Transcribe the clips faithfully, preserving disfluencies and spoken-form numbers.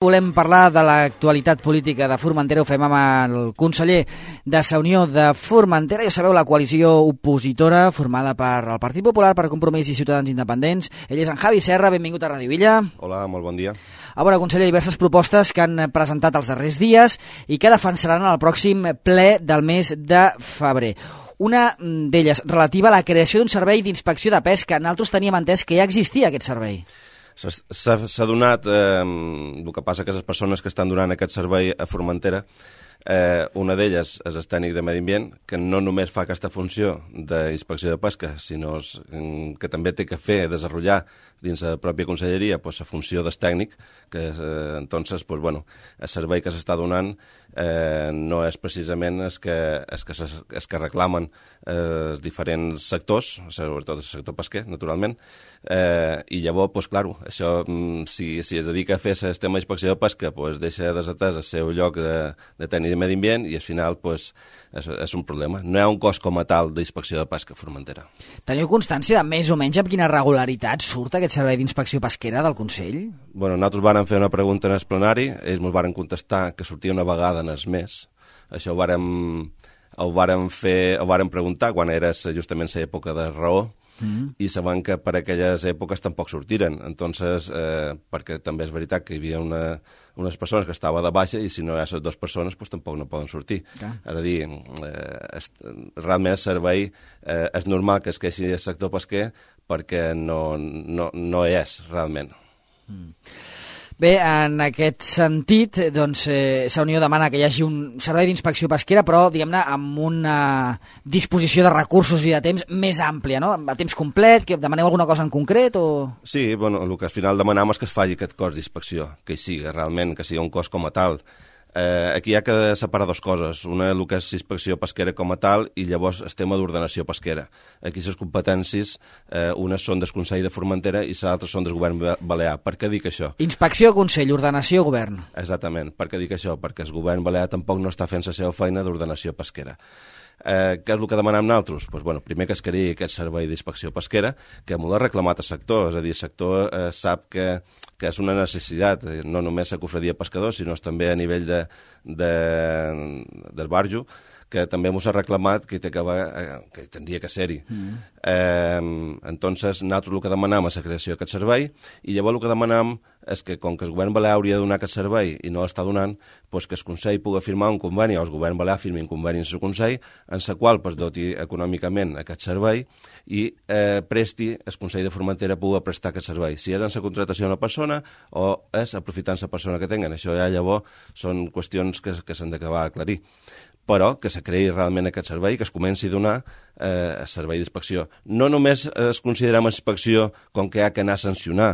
Volem parlar de l'actualitat política de Formentera. Ho fem amb el conseller de Sa Unió de Formentera. Ja sabeu, la coalició opositora formada per el Partit Popular, per Compromís i Ciutadans Independents. Ell és en Javi Serra. Benvingut a Ràdio Villa. Hola, molt bon dia. A veure, conseller, diverses propostes que han presentat els darrers dies i que defensaran el pròxim ple del mes de febrer. Una d'elles relativa a la creació d'un servei d'inspecció de pesca. Nosaltres teníem entès que ja existia aquest servei. S'ha donat, eh, el que passa que les persones que estan donant aquest servei a Formentera, eh, una d'elles és el tècnic de Medi Ambient, que no només fa aquesta funció d'inspecció de pesca, sinó que també té que fer, desenvolupar dins la pròpia conselleria pues, la funció del tècnic, que eh, entonces, pues, bueno, el servei que s'està donant eh, no és precisament el que, el que, el que reclamen eh, els diferents sectors, sobretot el sector pesquer, naturalment, eh, i llavors, pues, clar, això, si, si es dedica a fer el tema d'inspecció de pesca, pues, deixa desatès el seu lloc de, de tècnic de Medi Ambient i al final pues, és, és un problema. No hi ha un cos com a tal d'inspecció de pesca a Formentera. Teniu constància de més o menys amb quina regularitat surt aquest servei d'inspecció pesquera del Consell? Bueno, nosaltres vàrem fer una pregunta en el plenari, ells ens varen contestar que sortia una vegada en el mes. Això ho vàrem, ho vàrem fer, ho vàrem preguntar quan era justament l'època de raó, Mm. i sabem que per aquelles èpoques tampoc sortiren. Entonces, eh, perquè també és veritat que hi havia una, unes persones que estava de baixa i si no hi ha les dues persones pues, tampoc no poden sortir. Okay. És a dir, eh, és, realment el servei eh, és normal que es queixi el sector pesquer perquè no, no, no és realment. Mm. Bé, en aquest sentit, doncs, eh, Sa Unió demana que hi hagi un servei d'inspecció pesquera, però, diguem-ne, amb una disposició de recursos i de temps més àmplia, no? A temps complet, que demaneu alguna cosa en concret o...? Sí, bueno, el que al final demanam és que es faci aquest cos d'inspecció, que hi sigui realment, que sigui un cos com a tal. Eh, aquí hi ha que separar dues coses, una el que és inspecció pesquera com a tal i llavors el tema d'ordenació pesquera. Aquí les competències, eh, unes són del Consell de Formentera i les altres són del Govern Balear. Per què dic això? Inspecció, Consell, ordenació, Govern. Exactament. Per què dic això? Perquè el Govern Balear tampoc no està fent la seva feina d'ordenació pesquera. Eh, què és el que demanem nosaltres? Pues, bueno, primer que es creï aquest servei d'inspecció pesquera, que molt ha reclamat el sector, és a dir, el sector eh, sap que, que és una necessitat, no només la cofradia pescador, sinó també a nivell de, de, del barjo, que també ens ha reclamat que, que, eh, que tindria que ser-hi. Mm. Eh, entonces, nosaltres el que demanam és la creació d'aquest servei i llavors el que demanam és que, com que el govern balear hauria de donar aquest servei i no l'està donant, pues que el Consell pugui firmar un conveni, o el govern balear firmi un conveni amb el Consell, en el qual pues, doti econòmicament aquest servei i eh, presti, el Consell de Formentera pugui prestar aquest servei. Si és en la contratació d'una persona o és aprofitant la persona que tenen. Això ja llavors són qüestions que, que s'han d'acabar d'aclarir. Però que se creï realment aquest servei, que es comenci a donar eh, servei d'inspecció. No només es considerem inspecció com que hi ha que anar a sancionar,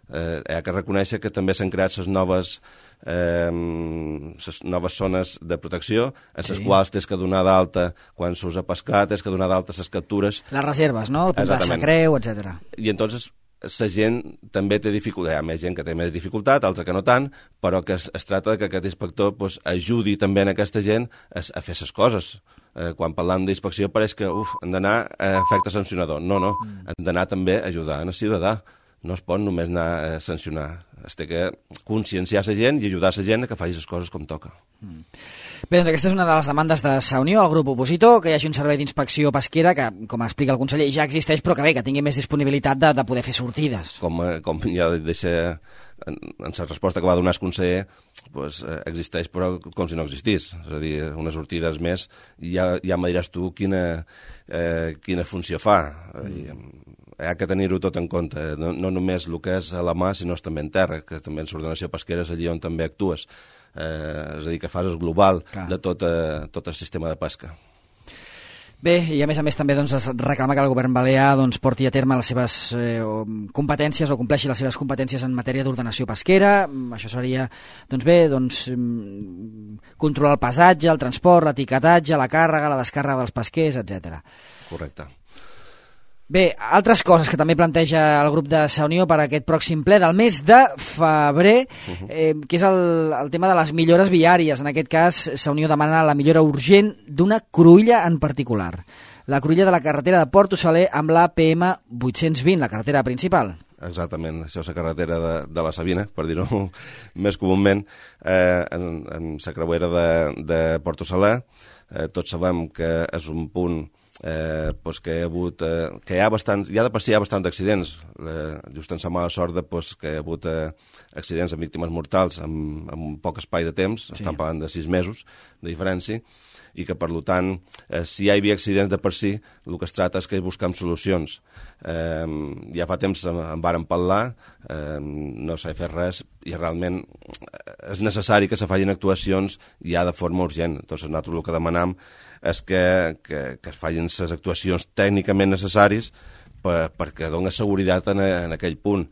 eh, hi ha que reconèixer que també s'han creat les noves, eh, les noves zones de protecció, en les sí. quals tens que donar d'alta quan s'usa pescar, tens que donar d'alta les captures. Les reserves, no? El punt de sa creu, etcètera. I entonces la gent també té dificultat, hi ha més gent que té més dificultat, altra que no tant, però que es, es tracta que aquest inspector pues, ajudi també a aquesta gent a, a fer les coses. Eh, quan parlam d'inspecció pareix que uf, han d'anar a efecte sancionador. No, no, mm. han d'anar també a ajudar al ciutadà. No es pot només anar a sancionar. Es té que conscienciar la gent i ajudar la gent a que faci les coses com toca. Mm. Bé, doncs aquesta és una de les demandes de Sa Unió, el grup opositor, que hi hagi un servei d'inspecció pesquera que, com explica el conseller, ja existeix, però que bé, que tingui més disponibilitat de, de poder fer sortides. Com, com ja deixa en, en la resposta que va donar el conseller, pues, existeix però com si no existís. És a dir, unes sortides més, ja, ja me diràs tu quina, eh, quina funció fa. Mm. Hi ha que tenir-ho tot en compte, no, no només el que és a la mà, sinó també en terra, que també en l'ordenació pesquera és allí on també actues. Eh, és a dir, que fas el global Clar. de tot, eh, tot el sistema de pesca. Bé, i a més a més també doncs, es reclama que el govern balear doncs, porti a terme les seves eh, competències o compleixi les seves competències en matèria d'ordenació pesquera. Això seria, doncs bé, doncs, controlar el pesatge, el transport, l'etiquetatge, la càrrega, la descàrrega dels pesquers, etcètera. Correcte. Bé, altres coses que també planteja el grup de Sa Unió per a aquest pròxim ple del mes de febrer, eh, que és el, el tema de les millores viàries. En aquest cas, Sa Unió demana la millora urgent d'una cruïlla en particular. La cruïlla de la carretera de Porto Saler amb la A P M vuit-cents vint, la carretera principal. exactament, això és la carretera de, de la Sabina, per dir-ho més comúment, eh, en, en la creuera de, de Porto Saler. Eh, tots sabem que és un punt eh, pues que, hi ha hagut, eh, que hi ha bastants, ja de per si hi ha bastants accidents, eh, just en la mala sort de, pues, que hi ha hagut eh, accidents amb víctimes mortals en, en un poc espai de temps, sí. Estan parlant de sis mesos de diferència, i que, per tant, eh, si hi havia accidents de per si, el que es tracta és que busquem solucions. Eh, ja fa temps en vàrem parlar, eh, no s'ha fet res, i realment és necessari que se facin actuacions ja de forma urgent. Entonces, nosaltres el que demanam és que, que, que es facin les actuacions tècnicament necessàries per, perquè doni seguretat en, en aquell punt.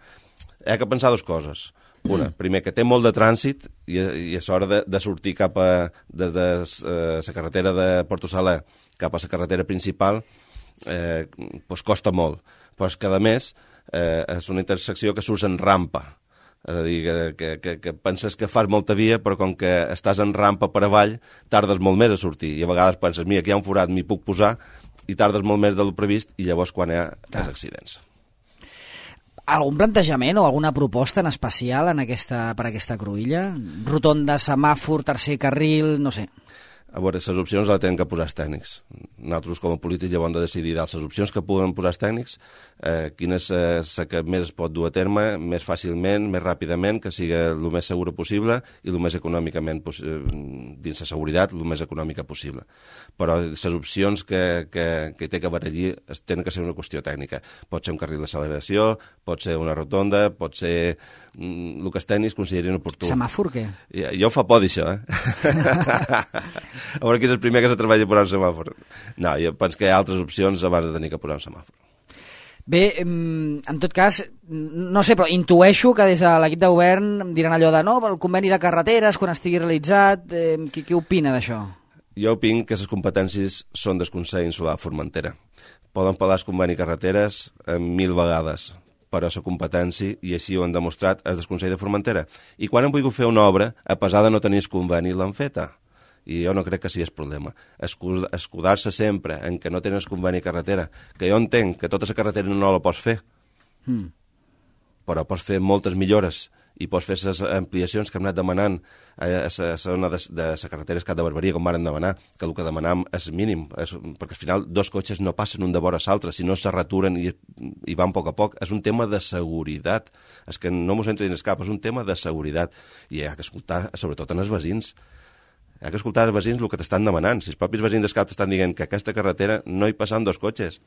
Hi ha que pensar dues coses. Una, primer, que té molt de trànsit i, i és hora de, de sortir cap a, des de la eh, carretera de Porto Saler cap a la carretera principal, eh, pues costa molt. Però és que, a més, eh, és una intersecció que surts en rampa. És a dir, que, que, que, que penses que fas molta via, però com que estàs en rampa per avall, tardes molt més a sortir. I a vegades penses, mira, aquí hi ha un forat, m'hi puc posar, i tardes molt més del previst, i llavors quan hi ha els accidents. Algun plantejament o alguna proposta en especial en aquesta, per aquesta cruïlla? Rotonda, semàfor, tercer carril, no sé. A veure, les opcions les tenen que posar els tècnics. Nosaltres, com a polítics, llavors hem de decidir les opcions que puguen posar els tècnics, eh, quina és la que més es pot dur a terme, més fàcilment, més ràpidament, que sigui el més segura possible i el més econòmicament, dins la seguretat, el més econòmica possible. Però les opcions que, que, que té que haver allí tenen que ser una qüestió tècnica. Pot ser un carril d'acceleració, pot ser una rotonda, pot ser el que els tècnics considerin oportú. Semàfor, què? Ja, ja ho fa por, d'això, eh? A veure qui és el primer que se treballa posar un semàfor. No, jo penso que hi ha altres opcions abans de tenir que posar un semàfor. Bé, en tot cas, no sé, però intueixo que des de l'equip de govern diran allò de no, el conveni de carreteres, quan estigui realitzat, eh, qui, qui opina d'això? Jo opino que les competències són del Consell Insular de Formentera. Poden parlar el conveni carreteres eh, mil vegades, però la competència, i així ho han demostrat, és del Consell de Formentera. I quan han volgut fer una obra, a pesar de no tenir el conveni, l'han feta. I jo no crec que sigui el problema. Escudar-se sempre en que no tens conveni carretera, que jo entenc que tota la carretera no la pots fer, mm. però pots fer moltes millores i pots fer les ampliacions que hem anat demanant a la zona de la carretera Escat de Barberia, com varen demanar, que el que demanam és mínim, és, perquè al final dos cotxes no passen un de vora l'altre, si no se raturen i, i van a poc a poc. És un tema de seguretat. És que no m'ho sento dins cap, és un tema de seguretat. I hi ha que escoltar, sobretot en els veïns. Hi ha que escoltar els veïns el que t'estan demanant. Si els propis veïns d'Escap t'estan dient que aquesta carretera no hi passen dos cotxes,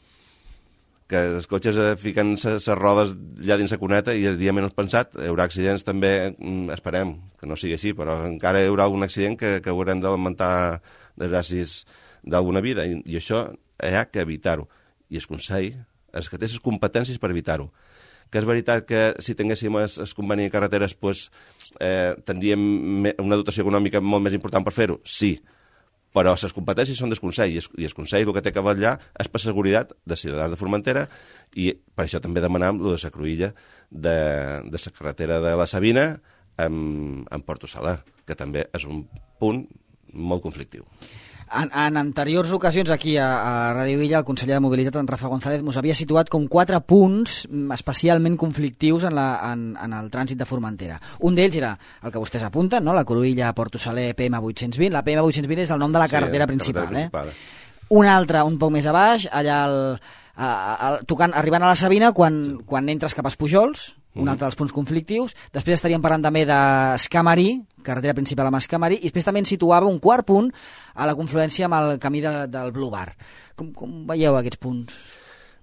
que els cotxes eh, fiquen les rodes allà dins la cuneta i el dia menys pensat hi haurà accidents també, esperem que no sigui així, però encara hi haurà algun accident que, que haurem de lamentar desgràcies d'alguna vida, i, i això hi ha que evitar-ho. I el Consell és que té les competències per evitar-ho. Que és veritat que si tinguéssim el, el conveni de carreteres pues, eh, tindríem una dotació econòmica molt més important per fer-ho? Sí, però les competències són del Consell, i el Consell el que té que vetllar és per la seguretat de ciutadans de Formentera, i per això també demanam lo de la cruïlla de, de la carretera de la Sabina en, en Porto Saler, que també és un punt molt conflictiu. En, en anteriors ocasions aquí a, a Ràdio Illa, el conseller de Mobilitat, en Rafa González, mos havia situat com quatre punts especialment conflictius en, la, en, en el trànsit de Formentera. Un d'ells era el que vostès apunten, no? La Cruïlla Porto Saler P M vuit-cents vint. La P M vuit-cents vint és el nom de la carretera, sí, principal. Carretera eh? principal. Un altre, un poc més a baix, allà el, a, a, tocant, arribant a la Sabina, quan, sí. quan entres cap als Pujols, un mm. altre dels punts conflictius. Després estaríem parlant també d'Escamarí, carretera principal amb Escamarí, i després també ens situava un quart punt a la confluència amb el camí de, del Blue Bar. Com, com veieu aquests punts?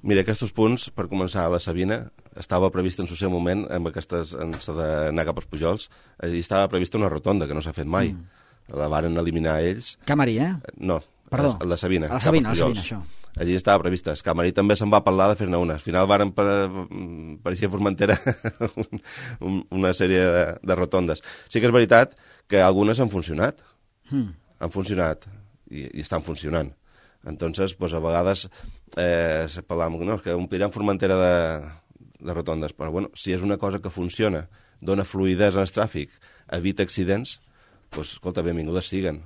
Mira, aquests punts, per començar, a la Sabina, estava previst en el seu moment, amb aquestes, en la d'anar cap als Pujols, allí estava prevista una rotonda, que no s'ha fet mai. Mm. La varen eliminar ells. Camarí, eh? No, Perdó. a la Sabina. A la Sabina, a la Sabina, això. Allí estava prevista. Escamarí també se'n va parlar de fer-ne una. Al final varen per, pareixia Formentera una sèrie de, de rotondes. Sí que és veritat que algunes han funcionat. Mm. Han funcionat i, i estan funcionant. Entonces, pues, a vegades eh, se parlàvem no, que ompliran Formentera de, de rotondes, però bueno, si és una cosa que funciona, dona fluïdesa en el tràfic, evita accidents, pues, escolta, benvingudes siguen.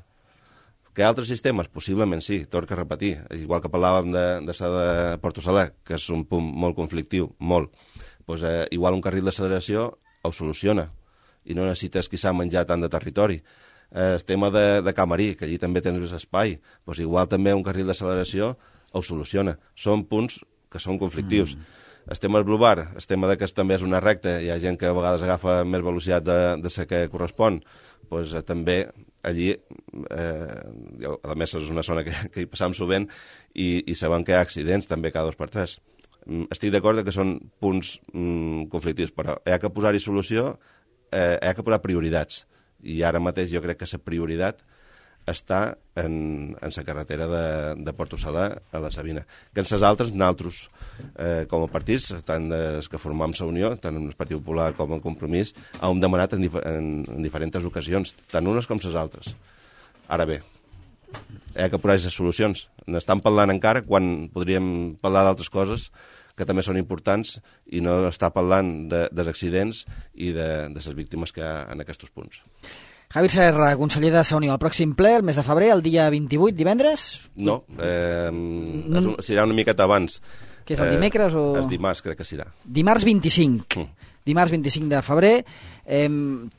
Que hi ha altres sistemes? Possiblement sí, torno a repetir. Igual que parlàvem de, de, de Porto Saler, que és un punt molt conflictiu, molt. pues, eh, igual un carril d'acceleració ho soluciona i no necessites quizà menjar tant de territori. Eh, el tema de, de Camarí, que allí també tens més espai, pues, igual també un carril d'acceleració ho soluciona. Són punts que són conflictius. Mm. El tema del Blue Bar, el tema de que també és una recta, hi ha gent que a vegades agafa més velocitat de, de la que correspon, pues, eh, també allí, eh, a més és una zona que, que hi passam sovint i, i sabem que hi ha accidents també cada dos per tres. Estic d'acord que són punts mm, conflictius, però hi ha que posar-hi solució, eh, hi ha que posar prioritats. I ara mateix jo crec que la prioritat està en, en la carretera de, de Porto Salà a la Sabina. Que en les altres, nosaltres, eh, com a partits, tant els que formam la Unió, tant el Partit Popular com el Compromís, hem demanat en, dif en, en diferents ocasions, tant unes com les altres. Ara bé, hi ha que posar les solucions. N'estan parlant encara quan podríem parlar d'altres coses que també són importants i no està parlant de, dels accidents i de, de les víctimes que hi ha en aquests punts. Javier Serra, conseller de la Unió, el pròxim ple, el mes de febrer, el dia vint-i-vuit, divendres? No, eh, no. Un, serà una miqueta abans. Que és el dimecres o...? El dimarts, crec que serà. Dimarts vint-i-cinc. Mm. Dimarts vint-i-cinc de febrer. Eh,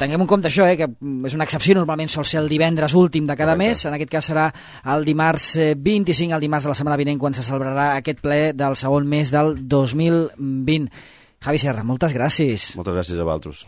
tinguem en compte això, eh, que és una excepció, normalment sol ser el divendres últim de cada Correcte. mes, en aquest cas serà el dimarts vint-i-cinc, el dimarts de la setmana vinent, quan se celebrarà aquest ple del segon mes del dos mil vint. Javi Serra, moltes gràcies. Moltes gràcies a vosaltres.